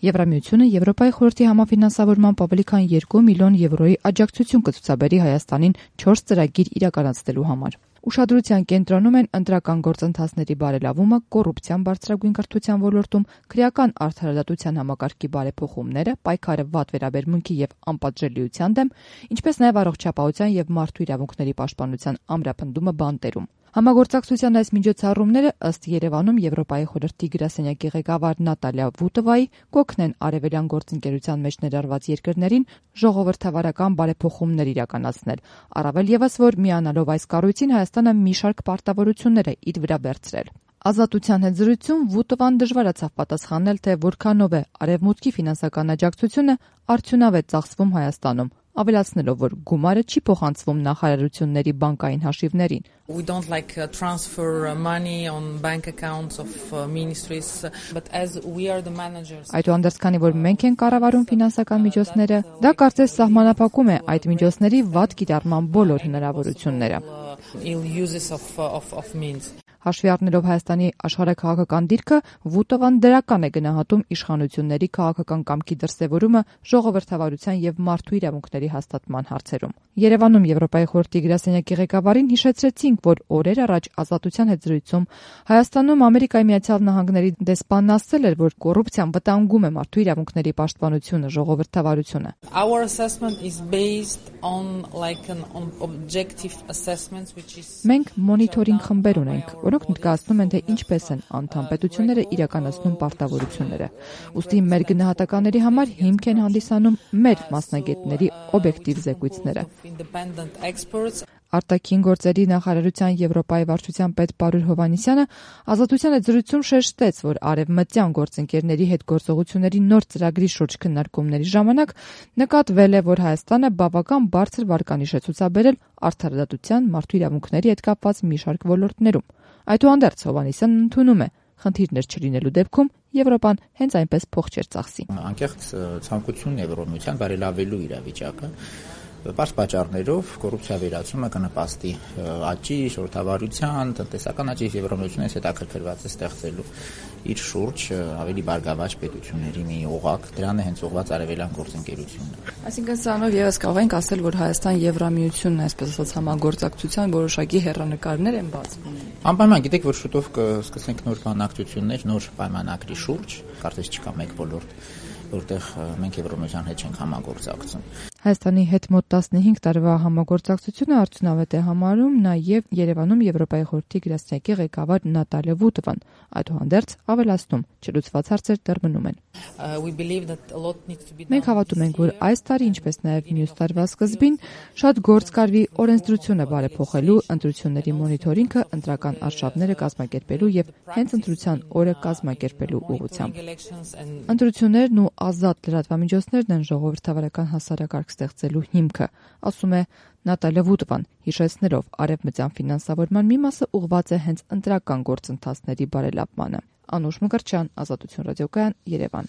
Եվրամիությունը Եվրոպայի խորհրդի համաֆինանսավորմամբ ավելի քան 2 միլիոն եվրոյի աջակցություն կցուցաբերի Հայաստանին 4 ծրագիր իրականացնելու համար։ Ուշադրության կենտրոնում են ընտրական գործընթացների բարելավումը, կոռուպցիան բարձրագույն կրթության ոլորտում, քրեական արդարադատության համակարգի բարեփոխումները, պայքարը վատ վերաբերմունքի եւ անպատժելիության դեմ, ինչպես նաեւ առողջապահության եւ մարդու իրավունքների պաշտպանության ամրապնդումը բանտերում։ Համագործակցության այս միջոցառումները ըստ Երևանում Եվրոպայի խորհրդի գրասենյակի ղեկավար Նատալիա Վուտովայի կօգնեն արևելյան գործընկերության մեջ ներառված երկրներին ժողովրդավարական բարեփոխումներ իրականացնել, առավել ևս որ միանալով այս կառույցին Հայաստանը մի շարք պարտավորություններ է իր վրա վերցրել։ Ազատության հետ զրույցում Վուտովան դժվարացավ պատասխանել, թե որքանով է արևմուտքի ֆինանսական աջակցությունը արդյունավետ ծախսվում Հայաստանում, ավելացնելով, որ գումարը չի փոխանցվում նախարարությունների բանկային հաշիվներին։ We don't transfer money on bank accounts of ministries, but as we are the managers. Այդուհանդերձ, քանի որ մենք ենք կառավարում ֆինանսական միջոցները, դա կարծես սահմանափակում է այդ միջոցների վատ կիրառման բոլոր հնարավորությունները։ Հաշվի առնելով Հայաստանի աշխարհաքաղաքական դիրքը, Վուտովան դրական է գնահատում իշխանությունների քաղաքական կամքի դրսևորումը ժողովրդավարության եւ մարդու իրավունքների հաստատման հարցերում։ Երևանում Եվրոպայի խորհրդի գրասենյակի ղեկավարին հիշեցրեցինք, որ օրեր առաջ Ազատության հետ զրույցում Հայաստանում Ամերիկայի Միացյալ Նահանգների դեսպանն ասել էր, որ կոռուպցիան վտանգում է մարդու իրավունքների պաշտպանությունը, ժողովրդավարությունը։ Our assessment is based on an objective assessment which is Մենք մոնիթորինգ խմբեր ունենք, որոնք ներկայացնում են, թե ինչպես են անդամ պետությունները իրականացնում պարտավորությունները։ Ուստի մեր գնահատականների համար հիմք են հանդիսանում մեր մասնագետների օբյեկտիվ զեկույցները։ Արտաքին գործերի նախարարության Եվրոպայի վարչության պետ Պարուլ Հովհաննիսյանը Ազատության հետ զրույցում շեշտեց, որ արևմտյան գործընկերների հետ գործողությունների նոր ծրագրի շուրջ քննարկումների ժամանակ նկատվել է, որ Հայաստանը բավական բարձր վարկանիշ է ցուցաբերել արդարադատության, մարդու իրավունքների հետ կապված մի շարք ոլորտներում։ Այդուհանդերձ Հովհաննիսյանն ընդունում է, խնդիրներ չլինելու դեպքում Եվրոպան հենց այնպես փող չէր ծախսի։ Անկեղծ ցանկությունն Եվրոմիության բարելավելու իրավիճակը Պարզ պատճառներով կոռուպցիա վերացումը կնպաստի աճի, ժողովրդավարության, տնտեսական աճի Եվրոմիությունը հետաքրքրված է ստեղծելու իր շուրջ ավելի բարգավաճ պետությունների մի օղակ, դրան է հենց ուղղված արևելյան գործընկերությունը։ Այսինքն սրանով եւս կարող ենք ասել, որ Հայաստան-Եվրամիությունն, այսպես ասած, համագործակցության որոշակի հեռանկարներ են բացվում։ Անպայման գիտեք, որ շուտով կսկսենք նոր բանակցություններ, նոր պայմանագրի շուրջ, կարծես չկա մեկ ոլորտ, որտեղ մենք Եվրոմիության հետ չենք համագործակցում։ Հայաստանի հետ մոտ 15 տարվա համագործակցությունը արդյունավետ է համարում նաև Երևանում Եվրոպայի խորհրդի գրասենյակի ղեկավար Նատալիա Վուտովան, այդուհանդերձ ավելացնում, չլուծված հարցեր դեռ մնում են։ Մենք հավատում ենք, որ այս տարի, ինչպես նաև մյուս տարվա սկզբին, շատ գործ կարվի օրենսդրությունը բարեփոխելու, ընտրությունների մոնիթորինգը, ընտրական արշավները կազմակերպելու եւ հենց ընտրության օրը կազմակերպելու ուղղությամբ։ Ընտրություններն ու ազատ լրատվամիջոցներն են ժողովրդավարական հասարակարգ ստեղծելու հիմքը, ասում է Նատալիա Վուտովան, հիշեցնելով արևմտյան ֆինանսավորման մի մասը ուղղված է հենց ընտրական գործընթացների բարելավմանը։ Անուշ Մկրտչյան, Ազատություն ռադիոկայան, Երևան։